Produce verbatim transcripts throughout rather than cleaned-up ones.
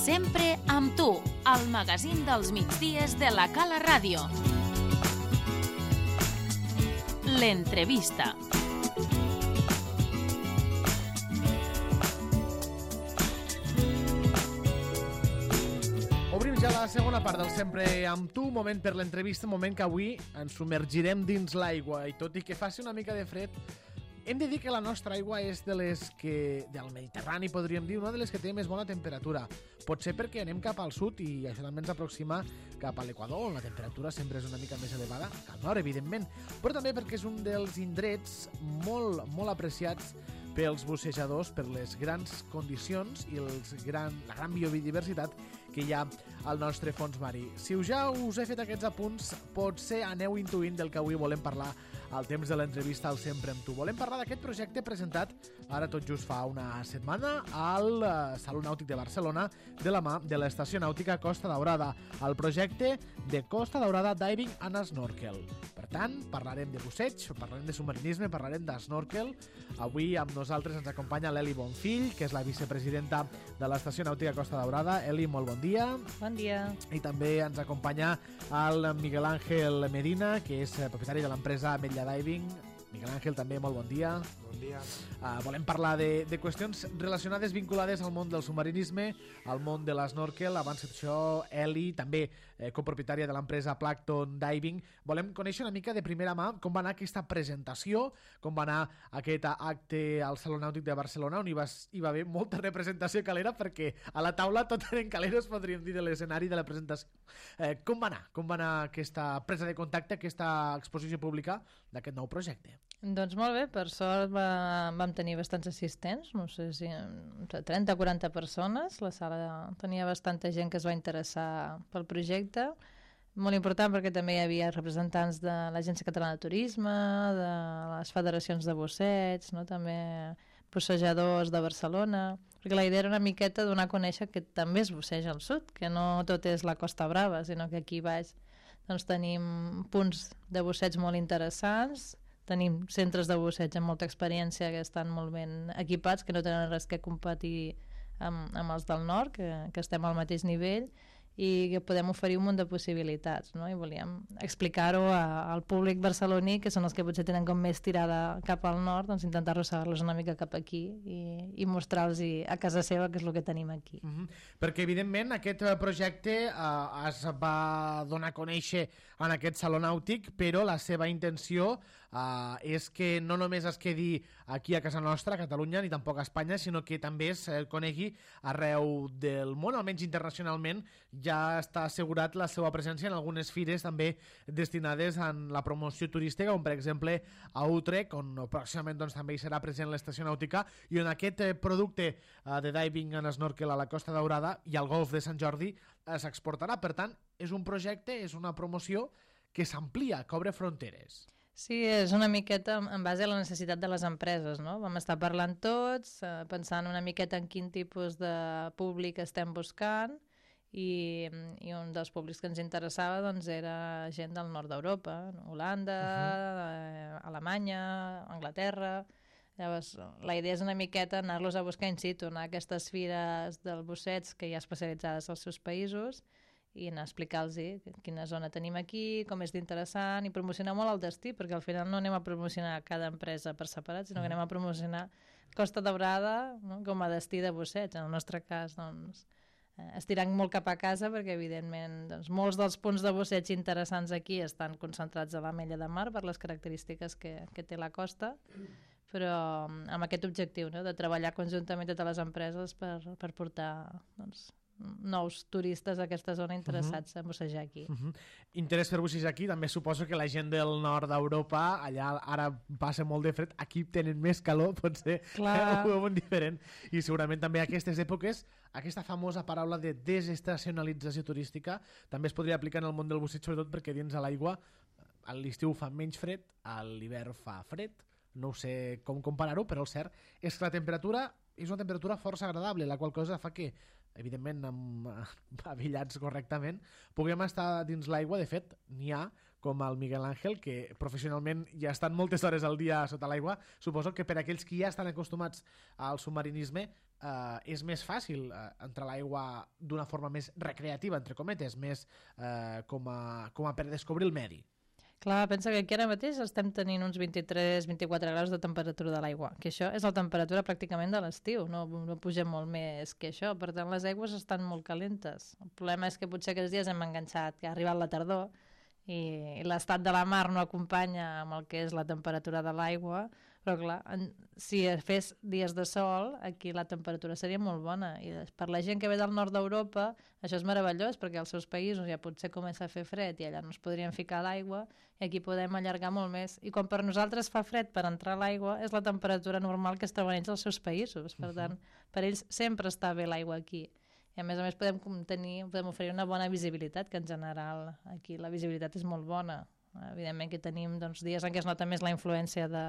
Sempre amb tu, al magazín dels migdies de la Cala Ràdio. L'entrevista. Obrim ja la segona part del Sempre amb tu, moment per l'entrevista, moment que avui ens submergirem dins l'aigua i tot i que faci una mica de fred, hem de dir que la nostra aigua és de les que, del Mediterrani, podríem dir, una de les que té més bona temperatura. Pot ser perquè anem cap al sud i això també ens aproxima cap a l'Equador, on la temperatura sempre és una mica més elevada, al nord, evidentment, però també perquè és un dels indrets molt, molt apreciats pels bussejadors, per les grans condicions i els gran, la gran biodiversitat que hi ha al nostre fons marí. Si ja us he fet aquests apunts, potser aneu intuint del que avui volem parlar al temps de l'entrevista al Sempre amb tu. Volem parlar d'aquest projecte presentat ara tot just fa una setmana al Saló Nàutic de Barcelona de la mà de l'Estació Nàutica Costa Daurada, el projecte de Costa Daurada Diving and Snorkel. Per tant, parlarem de busseig, parlarem de submarinisme, parlarem d'snorkel. Avui amb nosaltres ens acompanya l'Eli Bonfill, que és la vicepresidenta de l'Estació Nàutica Costa Daurada. Eli, molt bon dia. Bon dia. I també ens acompanya el Miguel Ángel Medina, que és propietari de l'empresa Ametlla Diving. Miguel Ángel, també molt bon dia. Bon dia. Uh, volem parlar de, de qüestions relacionades, vinculades al món del submarinisme, al món de l'esnorkel. Abans d'això, Eli, també eh, copropietària de l'empresa Plankton Diving. Volem conèixer una mica de primera mà com va anar aquesta presentació, com va anar aquest acte al Saló Nàutic de Barcelona, on hi va, hi va haver molta representació calera, perquè a la taula tot eren caleros, podríem dir, de l'escenari de la presentació. Eh, com va anar? Com va anar aquesta presa de contacte, aquesta exposició pública d'aquest nou projecte? Doncs molt bé, per sort va, vam tenir bastants assistents, no sé si trenta o quaranta persones, la sala tenia bastanta gent que es va interessar pel projecte, molt important perquè també hi havia representants de l'Agència Catalana de Turisme, de les federacions de busseig, no? També bussejadors de Barcelona, perquè la idea era una miqueta donar a conèixer que també es busseja al sud, que no tot és la Costa Brava, sinó que aquí baix doncs, tenim punts de busseig molt interessants. Tenim centres de busseig amb molta experiència que estan molt ben equipats, que no tenen res que competir amb, amb els del nord, que, que estem al mateix nivell i que podem oferir un munt de possibilitats, no? I volíem explicar-ho a, al públic barceloní, que són els que potser tenen com més tirada cap al nord, doncs intentar arrossegar-los una mica cap aquí i, i mostrar-los a casa seva què és el que tenim aquí. Mm-hmm. Perquè evidentment aquest projecte eh, es va donar a conèixer en aquest Saló Nàutic, però la seva intenció eh, és que no només es quedi aquí a casa nostra, a Catalunya, ni tampoc a Espanya, sinó que també es conegui arreu del món, almenys internacionalment. Ja està assegurat la seva presència en algunes fires també destinades a la promoció turística, com per exemple a Utrecht, on pròximament doncs, també hi serà present l'estació nàutica, i on aquest eh, producte eh, de diving and snorkel a la Costa Daurada i al Golf de Sant Jordi eh, s'exportarà. Per tant, és un projecte, és una promoció que s'amplia, que obre fronteres. Sí, és una miqueta en base a la necessitat de les empreses, no? Vam estar parlant tots, eh, pensant una miqueta en quin tipus de públic estem buscant, i, i un dels públics que ens interessava doncs, era gent del nord d'Europa, Holanda, uh-huh. eh, Alemanya, Anglaterra. Llavors, la idea és una miqueta anar-los a buscar in situ, anar a aquestes fires del busseig que hi ha especialitzades als seus països i anar a explicar-los quina zona tenim aquí, com és d'interessant, i promocionar molt el destí, perquè al final no anem a promocionar cada empresa per separat, sinó que anem a promocionar Costa Daurada, no? Com a destí de busseig. En el nostre cas, doncs, estirant molt cap a casa, perquè evidentment doncs, molts dels punts de busseig interessants aquí estan concentrats a l'Ametlla de Mar per les característiques que, que té la costa, però amb aquest objectiu, no? De treballar conjuntament totes les empreses per, per portar doncs, nous turistes a aquesta zona interessats uh-huh. a bussejar aquí. Uh-huh. Interès per bussejar aquí, també suposo que la gent del nord d'Europa, allà ara passa molt de fred, aquí tenen més calor, potser ho veuen diferent, i segurament també aquestes èpoques, aquesta famosa paraula de desestacionalització turística també es podria aplicar en el món del busseig, sobretot perquè dins de l'aigua a l'estiu fa menys fred, a l'hivern fa fred, no sé com comparar-ho, però el cert és que la temperatura és una temperatura força agradable, la qual cosa fa que, evidentment, amb, abillats correctament, puguem estar dins l'aigua. De fet, n'hi ha com el Miguel Ángel, que professionalment ja estan moltes hores al dia sota l'aigua. Suposo que per aquells que ja estan acostumats al submarinisme eh, és més fàcil eh, entrar a l'aigua d'una forma més recreativa, entre cometes, més eh, com, a, com a per descobrir el medi. Clar, pensa que aquí ara mateix estem tenint uns vint-i-tres vint-i-quatre graus de temperatura de l'aigua, que això és la temperatura pràcticament de l'estiu, no, no pugem molt més que això, per tant les aigües estan molt calentes. El problema és que potser aquests dies hem enganxat que ha arribat la tardor i l'estat de la mar no acompanya amb el que és la temperatura de l'aigua, però clar, en, si fes dies de sol, aquí la temperatura seria molt bona, i per la gent que ve del nord d'Europa això és meravellós, perquè als seus països ja potser comença a fer fred i allà no es podrien ficar a l'aigua, i aquí podem allargar molt més, i quan per nosaltres fa fred per entrar a l'aigua, és la temperatura normal que es troben ells als seus països, per tant, per ells sempre està bé l'aigua aquí. I a més a més podem, tenir, podem oferir una bona visibilitat, que en general aquí la visibilitat és molt bona. Evidentment que tenim doncs, dies en què es nota més la influència de,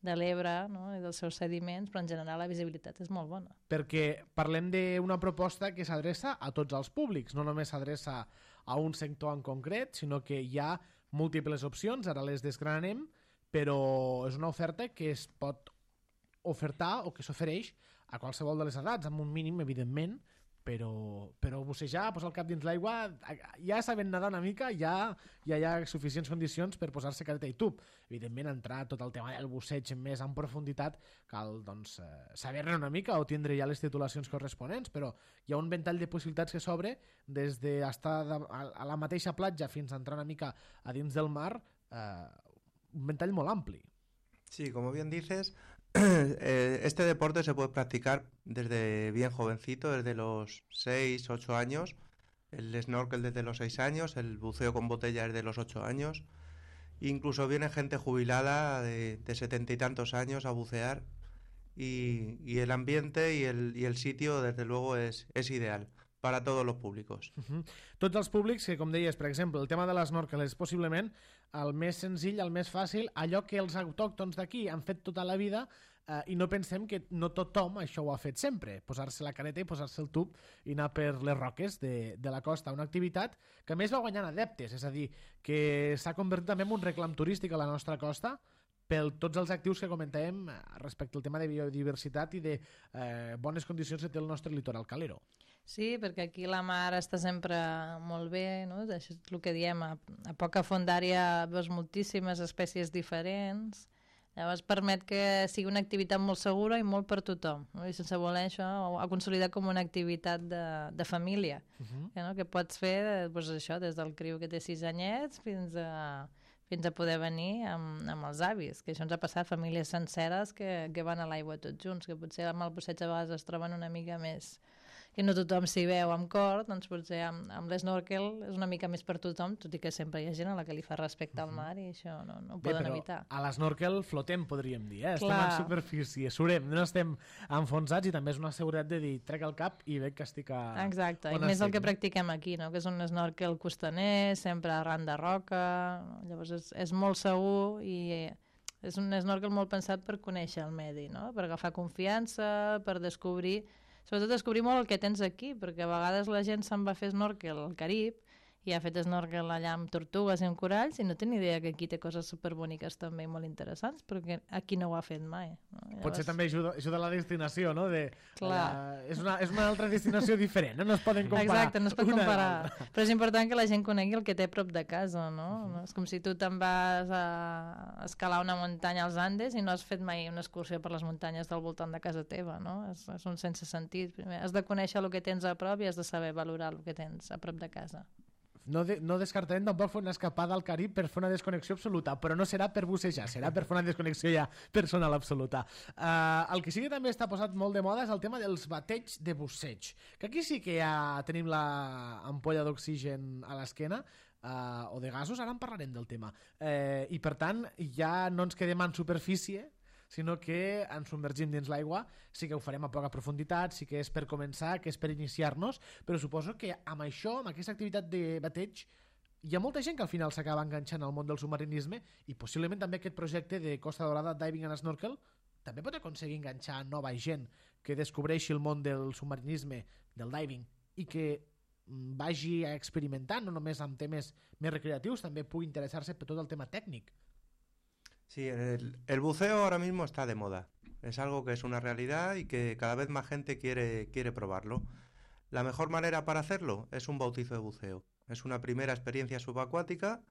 de l'Ebre, no? I dels seus sediments, però en general la visibilitat és molt bona. Perquè parlem d'una proposta que s'adreça a tots els públics, no només s'adreça a un sector en concret, sinó que hi ha múltiples opcions, ara les desgranem, però és una oferta que es pot ofertar o que s'ofereix a qualsevol de les edats, amb un mínim, evidentment, però, però bussejar, posar el cap dins l'aigua, ja sabent nedar una mica, ja, ja hi ha suficients condicions per posar-se careta i tub. Evidentment, entrar tot el tema del busseig més en profunditat, cal doncs, eh, saber-ne una mica o tindre ja les titulacions corresponents, però hi ha un ventall de possibilitats que s'obre des d'estar a la mateixa platja fins a entrar una mica a dins del mar, eh, un ventall molt ampli. Sí, como bien dices, este deporte se puede practicar desde bien jovencito, desde los seis, ocho años, el snorkel desde los seis años, el buceo con botella desde los ocho años, incluso viene gente jubilada de, de setenta y tantos años a bucear y, y el ambiente y el, y el sitio desde luego es, es ideal para todos los públicos. Uh-huh. Tots els públics que, com deies, per exemple, el tema de l'esnorkel és possiblement el més senzill, el més fàcil, allò que els autòctons d'aquí han fet tota la vida eh, i no pensem que no tothom això ho ha fet sempre, posar-se la careta i posar-se el tub i anar per les roques de, de la costa, una activitat que a més va guanyant adeptes, és a dir, que s'ha convertit també en un reclam turístic a la nostra costa per tots els actius que comentàvem respecte al tema de biodiversitat i de eh, bones condicions que té el nostre litoral calero. Sí, perquè aquí la mar està sempre molt bé, no? Això és el que diem, a, a poca fondària veus moltíssimes espècies diferents, llavors permet que sigui una activitat molt segura i molt per tothom, no? I sense voler això ha consolidat com una activitat de, de família, uh-huh. que, no? Que pots fer doncs, això, des del criu que té sis anyets fins a, fins a poder venir amb, amb els avis, que això ens ha passat, famílies senceres que, que van a l'aigua tots junts, que potser amb el busseig a vegades es troben una mica més que no tothom s'hi veu amb cor, doncs potser amb, amb l'esnorkel és una mica més per tothom, tot i que sempre hi ha gent a la que li fa respecte al mar i això no, no ho Bé, poden evitar. A l'esnorkel flotem, podríem dir, eh? Estem Clar. en superfície, surem, no estem enfonsats i també és una seguretat de dir, trec el cap i veig que estic a... Exacte, i on més estic, el que no? practiquem aquí, no? Que és un snorkel costaner, sempre arran de roca, no? Llavors és, és molt segur i és un snorkel molt pensat per conèixer el medi, no? Per agafar confiança, per descobrir... Sobretot descobrir molt el que tens aquí, perquè a vegades la gent se'n va fer snorkel al Carib i ha fet snorkel allà amb tortugues i amb coralls i no té ni idea que aquí té coses superboniques també molt interessants, perquè aquí no ho ha fet mai. No? Llavors... Potser també ajuda, ajuda la destinació, no? De, Clar. Uh, és, una, és una altra destinació diferent, no? No es poden comparar. Exacte, no es pot comparar. Però és important que la gent conegui el que té a prop de casa, no? Uh-huh. És com si tu te'n vas a escalar una muntanya als Andes i no has fet mai una excursió per les muntanyes del voltant de casa teva, no? És, és un sense sentit. Primer has de conèixer el que tens a prop i has de saber valorar el que tens a prop de casa. No, de, no descartarem tampoc fer una escapada al Carib per fer una desconnexió absoluta, però no serà per bussejar, serà per fer una desconnexió ja personal absoluta. Uh, el que sí que també està posat molt de moda és el tema dels bateigs de busseig, que aquí sí que ja tenim la ampolla d'oxigen a l'esquena, uh, o de gasos, ara en parlarem del tema. Uh, I per tant, ja no ens quedem en superfície, sinó que ens submergim dins l'aigua, sí que ho farem a poca profunditat, sí que és per començar, que és per iniciar-nos, però suposo que amb això, amb aquesta activitat de bateig, hi ha molta gent que al final s'acaba enganxant al món del submarinisme i possiblement també aquest projecte de Costa Daurada Diving and Snorkel també pot aconseguir enganxar nova gent que descobreixi el món del submarinisme, del diving, i que vagi experimentant, no només amb temes més recreatius, també pugui interessar-se per tot el tema tècnic. Sí, el, el buceo ahora mismo está de moda. Es algo que es una realidad y que cada vez más gente quiere, quiere probarlo. La mejor manera para hacerlo es un bautizo de buceo. Es una primera experiencia subacuática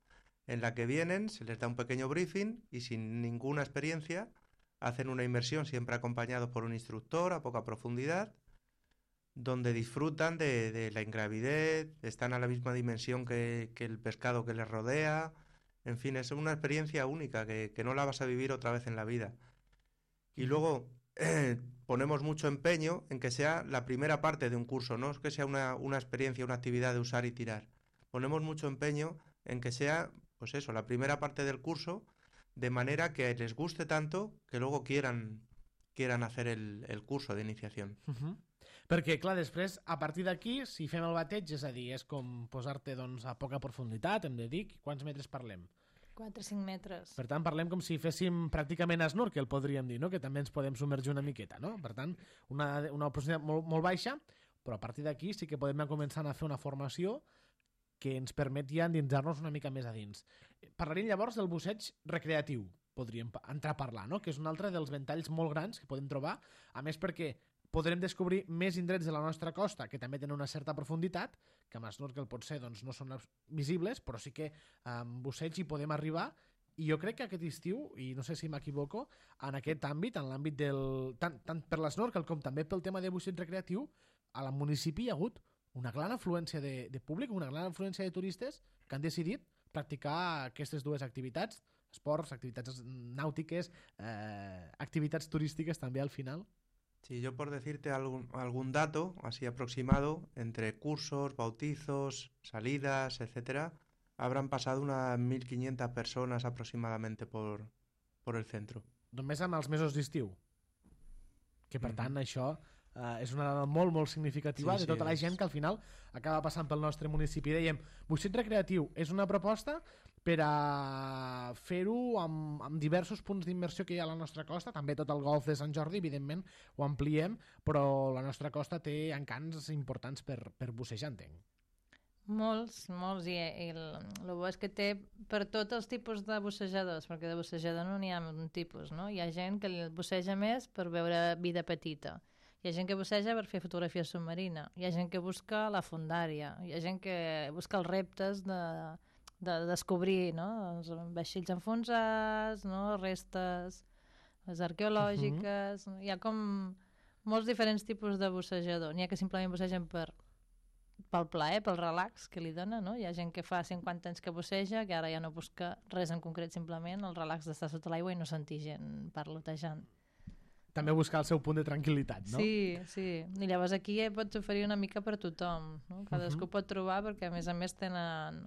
en la que vienen, se les da un pequeño briefing y sin ninguna experiencia hacen una inmersión siempre acompañados por un instructor a poca profundidad, donde disfrutan de, de la ingravidez, están a la misma dimensión que, que el pescado que les rodea. En fin, es una experiencia única que, que no la vas a vivir otra vez en la vida. Y luego eh, ponemos mucho empeño en que sea la primera parte de un curso, no es que sea una, una experiencia, una actividad de usar y tirar. Ponemos mucho empeño en que sea, pues eso, la primera parte del curso, de manera que les guste tanto que luego quieran, quieran hacer el, el curso de iniciación. Uh-huh. Perquè, clar, després, a partir d'aquí, si fem el bateig, és a dir, és com posar-te doncs, a poca profunditat, hem de dir, quants metres parlem? quatre a cinc metres. Per tant, parlem com si féssim pràcticament snorkel, podríem dir, no? Que també ens podem submergir una miqueta, no? Per tant, una, una profunditat molt, molt baixa, però a partir d'aquí sí que podem començar a fer una formació que ens permet ja endinsar-nos una mica més a dins. Parlaríem llavors del busseig recreatiu, podríem entrar a parlar, no? Que és un altre dels ventalls molt grans que podem trobar, a més perquè podrem descobrir més indrets de la nostra costa que també tenen una certa profunditat, que amb snorkel potser doncs, no són visibles, però sí que amb busseig hi podem arribar, i jo crec que aquest estiu, i no sé si m'equivoco, en aquest àmbit, en l'àmbit del... tant, tant per l'esnorkel com també pel tema de busseig recreatiu, a la municipi hi ha hagut una gran afluència de, de públic, una gran afluència de turistes que han decidit practicar aquestes dues activitats, esports, activitats nàutiques, eh, activitats turístiques també al final. Sí, yo por decirte algún, algún dato así aproximado, entre cursos, bautizos, salidas, etcétera, habrán pasado unas mil quinientas personas aproximadamente por, por el centro. Només amb els mesos d'estiu. Que per mm. tant això eh, és una dada molt, molt significativa sí, de tota sí, la gent és... que al final acaba passant pel nostre municipi. Dèiem, busseig recreatiu és una proposta per a fer-ho amb, amb diversos punts d'immersió que hi ha a la nostra costa, també tot el golf de Sant Jordi, evidentment, ho ampliem, però la nostra costa té encants importants per, per bussejar, entenc. Molts, molts, i, i el, el bo és que té per tots els tipus de bussejadors, perquè de bussejador no n'hi ha un tipus, no? Hi ha gent que busseja més per veure vida petita, hi ha gent que busseja per fer fotografia submarina, hi ha gent que busca la fondària, hi ha gent que busca els reptes de... de descobrir, no? Els vaixells enfonsats, no? Restes, les arqueològiques... Uh-huh. Hi ha com molts diferents tipus de bussejador. N'hi ha que simplement bussegen per, pel plaer, pel relax que li dona, no? Hi ha gent que fa cinquanta anys que busseja, que ara ja no busca res en concret, simplement el relax d'estar sota l'aigua i no sentir gent parlotejant. També buscar el seu punt de tranquil·litat, no? Sí, sí. I llavors aquí ja pots oferir una mica per tothom, no? Cadascú uh-huh. pot trobar perquè a més a més tenen,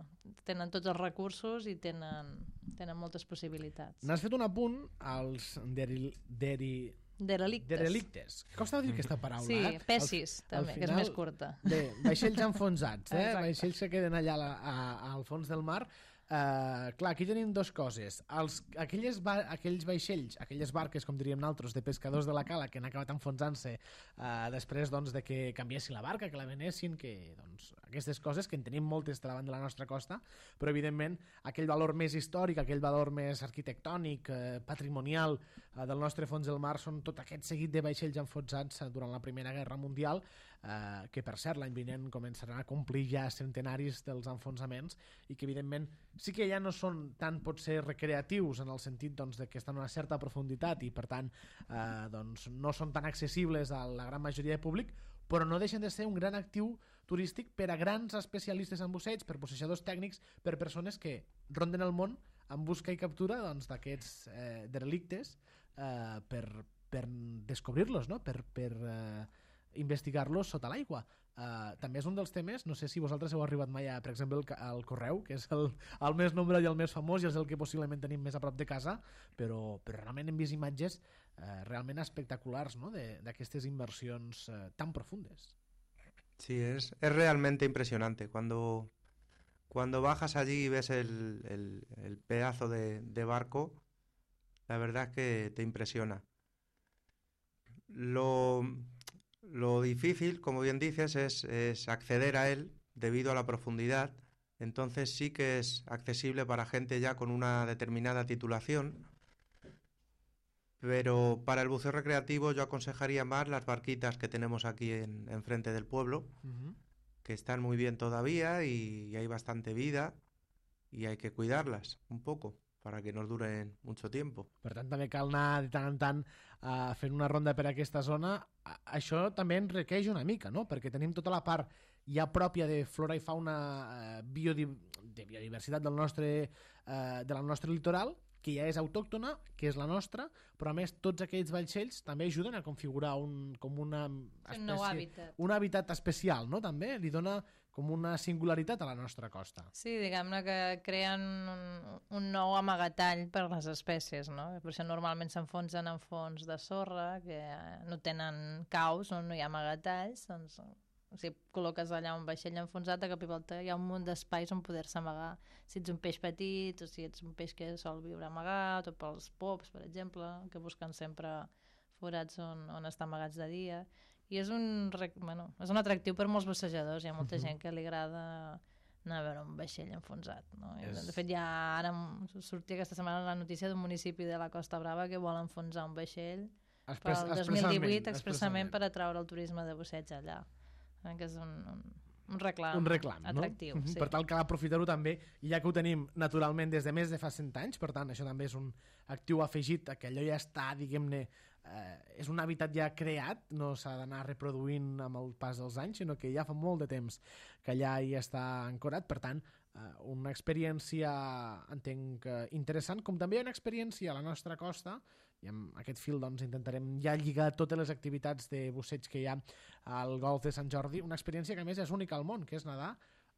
tenen tots els recursos i tenen, tenen moltes possibilitats. N'has fet un apunt als deril, deri... Derelictes. Derelictes. Costa dir aquesta paraula, sí, eh? Sí, pessis, al, també, al que és més curta. De vaixells enfonsats, eh? Vaixells que queden allà a, a, al fons del mar. Uh, clar, aquí tenim dues coses. Els, aquelles ba aquells vaixells, aquelles barques, com diríem nosaltres, de pescadors de la cala que han acabat enfonsant-se uh, després doncs, de que canviessin la barca, que la venessin, que doncs, aquestes coses que en tenim moltes davant de la nostra costa, però evidentment aquell valor més històric, aquell valor més arquitectònic, uh, patrimonial uh, del nostre fons del mar són tot aquest seguit de vaixells enfonsats uh, durant la Primera Guerra Mundial, Uh, que per cert l'any vinent començaran a complir ja centenaris dels enfonsaments i que evidentment sí que ja no són tan potser recreatius en el sentit doncs, de que estan a una certa profunditat i per tant uh, doncs, no són tan accessibles a la gran majoria de públic, però no deixen de ser un gran actiu turístic per a grans especialistes en busseig, per bussejadors tècnics, per persones que ronden el món en busca i captura doncs, d'aquests eh, derelictes eh, per, per descobrir-los, no? per, per eh, investigar-los sota l'aigua. Uh, també és un dels temes, no sé si vosaltres heu arribat mai a, per exemple, el, el Correu, que és el, el més nombre i el més famós i és el que possiblement tenim més a prop de casa, però, però realment hem vist imatges uh, realment espectaculars, ¿no? d'aquestes immersions uh, tan profundes. Sí, es, es realmente impresionante. Cuando, cuando bajas allí y ves el, el, el pedazo de, de barco, la verdad es que te impresiona. Lo... Lo difícil, como bien dices, es, es acceder a él debido a la profundidad. Entonces sí que es accesible para gente ya con una determinada titulación. Pero para el buceo recreativo yo aconsejaría más las barquitas que tenemos aquí en, enfrente del pueblo, Uh-huh. que están muy bien todavía y, y hay bastante vida y hay que cuidarlas un poco para que nos duren mucho tiempo. Per tant, també cal anar de tant en tant uh, fent una ronda per aquesta zona. A- Això també ens requeix una mica, no? Perquè tenim tota la part ja pròpia de flora i fauna uh, biodi de biodiversitat del nostre, uh, de la nostre litoral, que ja és autòctona, que és la nostra, però a més tots aquells vaixells també ajuden a configurar un, com una Un nou espècie, hàbitat. un hàbitat especial, no? També li dona com una singularitat a la nostra costa. Sí, diguem-ne que creen un, un nou amagatall per les espècies, no? Per això normalment s'enfonsen en fons de sorra, que no tenen caus, on no hi ha amagatalls, doncs si col·loques allà un vaixell enfonsat, a cap i volta hi ha un munt d'espais on poder-se amagar. Si ets un peix petit, o si ets un peix que sol viure amagat, o pels pops, per exemple, que busquen sempre forats on, on estar amagats de dia. I és un, rec- bueno, és un atractiu per molts bussejadors. Hi ha molta gent que li agrada anar a veure un vaixell enfonsat. No? I, És- De fet, ja ara em sortia aquesta setmana la notícia d'un municipi de la Costa Brava que vol enfonsar un vaixell Expres- pel dos mil divuit expressament per atraure el turisme de busseig allà. Eh, que és un, un, un reclam, un reclam, atractiu. no? Sí. Per tant, cal aprofitar-ho també, i ja que ho tenim naturalment des de més de fa cent anys, per tant, això també és un actiu afegit, que allò ja està, diguem-ne, eh, és un hàbitat ja creat, no s'ha d'anar reproduint amb el pas dels anys, sinó que ja fa molt de temps que allà hi està ancorat, per tant, eh, una experiència, entenc, eh, interessant, com també hi ha una experiència a la nostra costa, i amb aquest fil doncs, intentarem ja lligar totes les activitats de busseig que hi ha al golf de Sant Jordi, una experiència que a més és única al món, que és nedar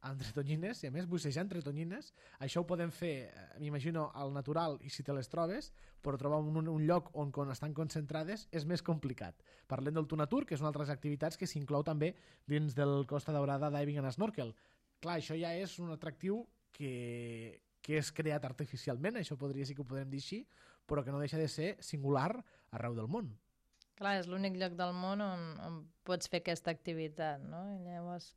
entre tonyines, i a més bussejar entre tonyines. Això ho podem fer, eh, m'imagino, al natural i si te les trobes, però trobar un, un lloc on, on estan concentrades és més complicat. Parlem del Tunatur, que és una altra activitats que s'inclou també dins del Costa Daurada Diving and Snorkel. Clar, això ja és un atractiu que, que és creat artificialment, això podria sí que ho podem dir així, però que no deixa de ser singular arreu del món. Clar, és l'únic lloc del món on, on pots fer aquesta activitat, no? I llavors,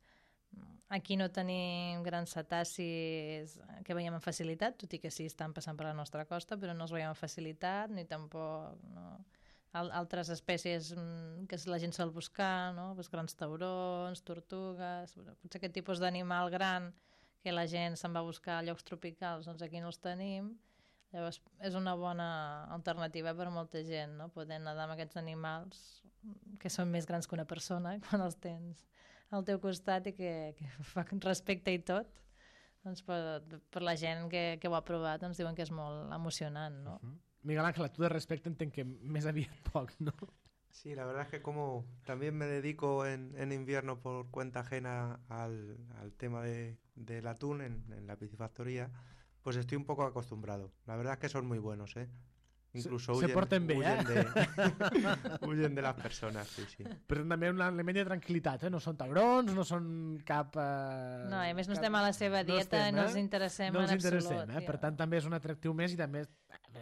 aquí no tenim grans cetacis que veiem amb facilitat, tot i que sí estan passant per la nostra costa, però no els veiem amb facilitat, ni tampoc no? Al altres espècies mm, que la gent sol buscar, no? Pues grans taurons, tortugues, potser aquest tipus d'animal gran que la gent se'n va a buscar a llocs tropicals, doncs aquí no els tenim. Llavors, és una bona alternativa per a molta gent, no? Poder nedar amb aquests animals que són més grans que una persona quan els tens al teu costat i que, que fa respecte i tot. Doncs per, per la gent que, que ho ha provat ens diuen que és molt emocionant, no? Uh -huh. Miguel Ángel, tu de respecte entenc que més aviat poc, no? Sí, la verdad es que como también me dedico en, en invierno por cuenta ajena al, al tema de, del atún en, en la piscifactoría, pues estoy un poco acostumbrado. La verdad es que son muy buenos, ¿eh? Incluso se, huyen, se porten bé, huyen, eh? de, huyen de las personas, sí, sí. Però també un element de tranquil·litat, eh? No són taurons, no són cap... Eh, No, i a més no cap... estem a la seva dieta, no, estem, no els interessem no en els interessem, absolut. Eh? Per tant, també és un atractiu més i també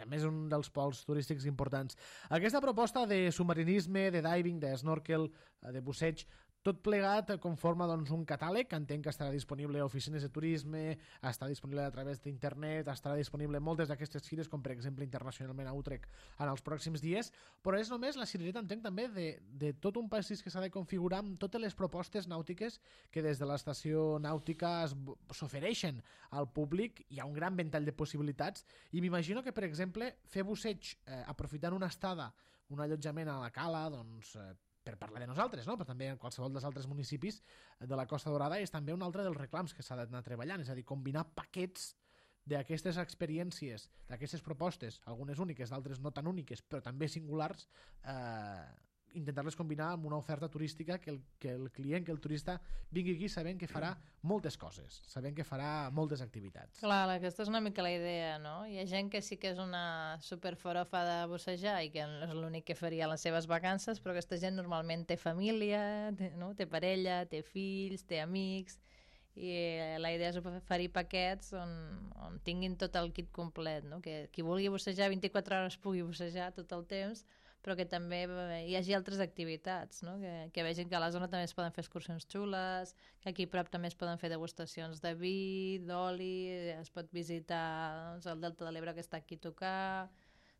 a més un dels pols turístics importants. Aquesta proposta de submarinisme, de diving, de snorkel, de busseig, tot plegat conforma doncs, un catàleg que entenc que estarà disponible a oficines de turisme, estarà disponible a través d'internet, estarà disponible en moltes d'aquestes fires, com per exemple internacionalment a Utrecht en els pròxims dies, però és només la cirereta, entenc també, de, de tot un passis que s'ha de configurar amb totes les propostes nàutiques que des de l'estació nàutica s'ofereixen al públic. Hi ha un gran ventall de possibilitats i m'imagino que, per exemple, fer busseig eh, aprofitant una estada, un allotjament a la cala, doncs... Eh, per parlar de nosaltres, no? Però també en qualsevol dels altres municipis de la Costa Daurada és també un altre dels reclams que s'ha d'anar treballant, és a dir, combinar paquets d'aquestes experiències, d'aquestes propostes, algunes úniques, d'altres no tan úniques, però també singulars, eh, intentar-les combinar amb una oferta turística que el, que el client, que el turista vingui aquí sabent que farà moltes coses, sabent que farà moltes activitats. Clar, aquesta és una mica la idea, no? Hi ha gent que sí que és una superfarofa de bussejar i que és l'únic que faria les seves vacances, però aquesta gent normalment té família, té, no? té parella, té fills, té amics, i la idea és oferir paquets on, on tinguin tot el kit complet, no? Que qui vulgui bussejar vint-i-quatre hores pugui bussejar tot el temps, però que també hi hagi altres activitats, no? que, que vegin que a la zona també es poden fer excursions xules, que aquí a prop també es poden fer degustacions de vi, d'oli, es pot visitar doncs, el Delta de l'Ebre que està aquí a tocar,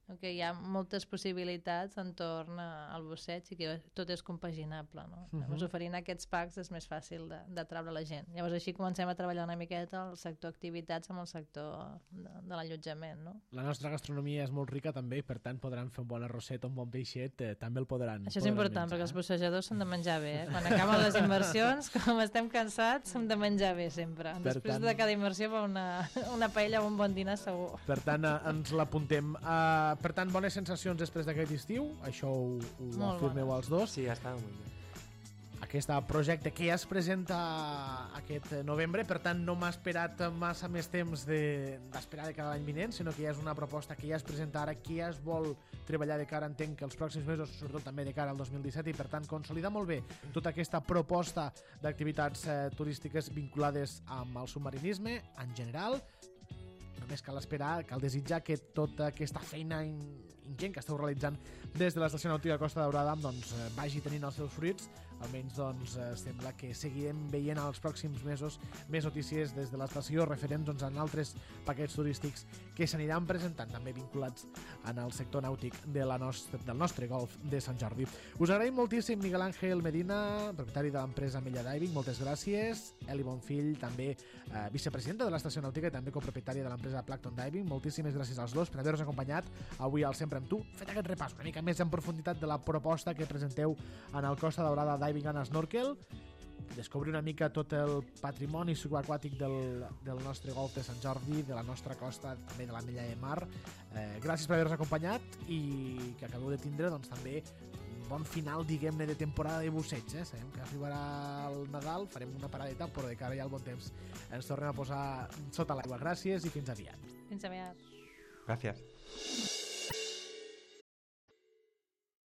no? Que hi ha moltes possibilitats entorn al busseig i que tot és compaginable. No? Uh-huh. Llavors, oferint aquests packs és més fàcil de, de treure la gent. Llavors així comencem a treballar una miqueta el sector activitats amb el sector de, de l'allotjament. No? La nostra gastronomia és molt rica també i per tant podran fer un bon arrosset o un bon peixet, eh, també el podran Això és podran important, menjar, perquè els eh? bussejadors s'han de menjar bé. Eh? Quan acaben les inversions, com estem cansats, hem de menjar bé sempre. Per Després tant... de cada inversió va una, una paella o un bon dinar segur. Per tant, eh, ens l'apuntem. Uh, per tant, bones sensacions després d'aquest estiu, això ho, ho afirmeu bones. els dos. Sí, ha estado muy bien. Aquest projecte que ja es presenta aquest novembre, per tant no m'ha esperat massa més temps d'esperar de, de cada any vinent, sinó que ja és una proposta que ja es presenta ara, que ja es vol treballar de cara, entenc que els pròxims mesos, sobretot també de cara al dos mil disset, i per tant consolidar molt bé tota aquesta proposta d'activitats eh, turístiques vinculades amb el submarinisme en general. Només cal esperar, cal desitjar que tota aquesta feina ingent que esteu realitzant des de l'Estació Nàutica Costa Daurada doncs, vagi tenint els seus fruits. Almenys doncs, sembla que seguirem veient als pròxims mesos més notícies des de l'estació referents doncs, en altres paquets turístics que s'aniran presentant, també vinculats en el sector nàutic de la nostra, del nostre golf de Sant Jordi. Us agraïm moltíssim Miguel Ángel Medina, propietari de l'empresa Mella Diving, moltes gràcies. Eli Bonfill, també eh, vicepresidenta de l'Estació Nàutica i també copropietària de l'empresa Plankton Diving. Moltíssimes gràcies als dos per haver-nos acompanyat avui al Sempre amb tu. Fet aquest repàs una mica més en profunditat de la proposta que presenteu en el Costa Daurada Diving and Snorkel, descobrir una mica tot el patrimoni subaquàtic del, del nostre golf de Sant Jordi, de la nostra costa, també de la Mella de Mar. Eh, gràcies per haver-nos acompanyat i que acabeu de tindre doncs, també un bon final, diguem-ne, de temporada de busseig. Eh? Sabem que arribarà el Nadal, farem una paradeta, però de cara ja al bon temps ens tornem a posar sota l'aigua. Gràcies i fins aviat. Fins aviat. Gràcies.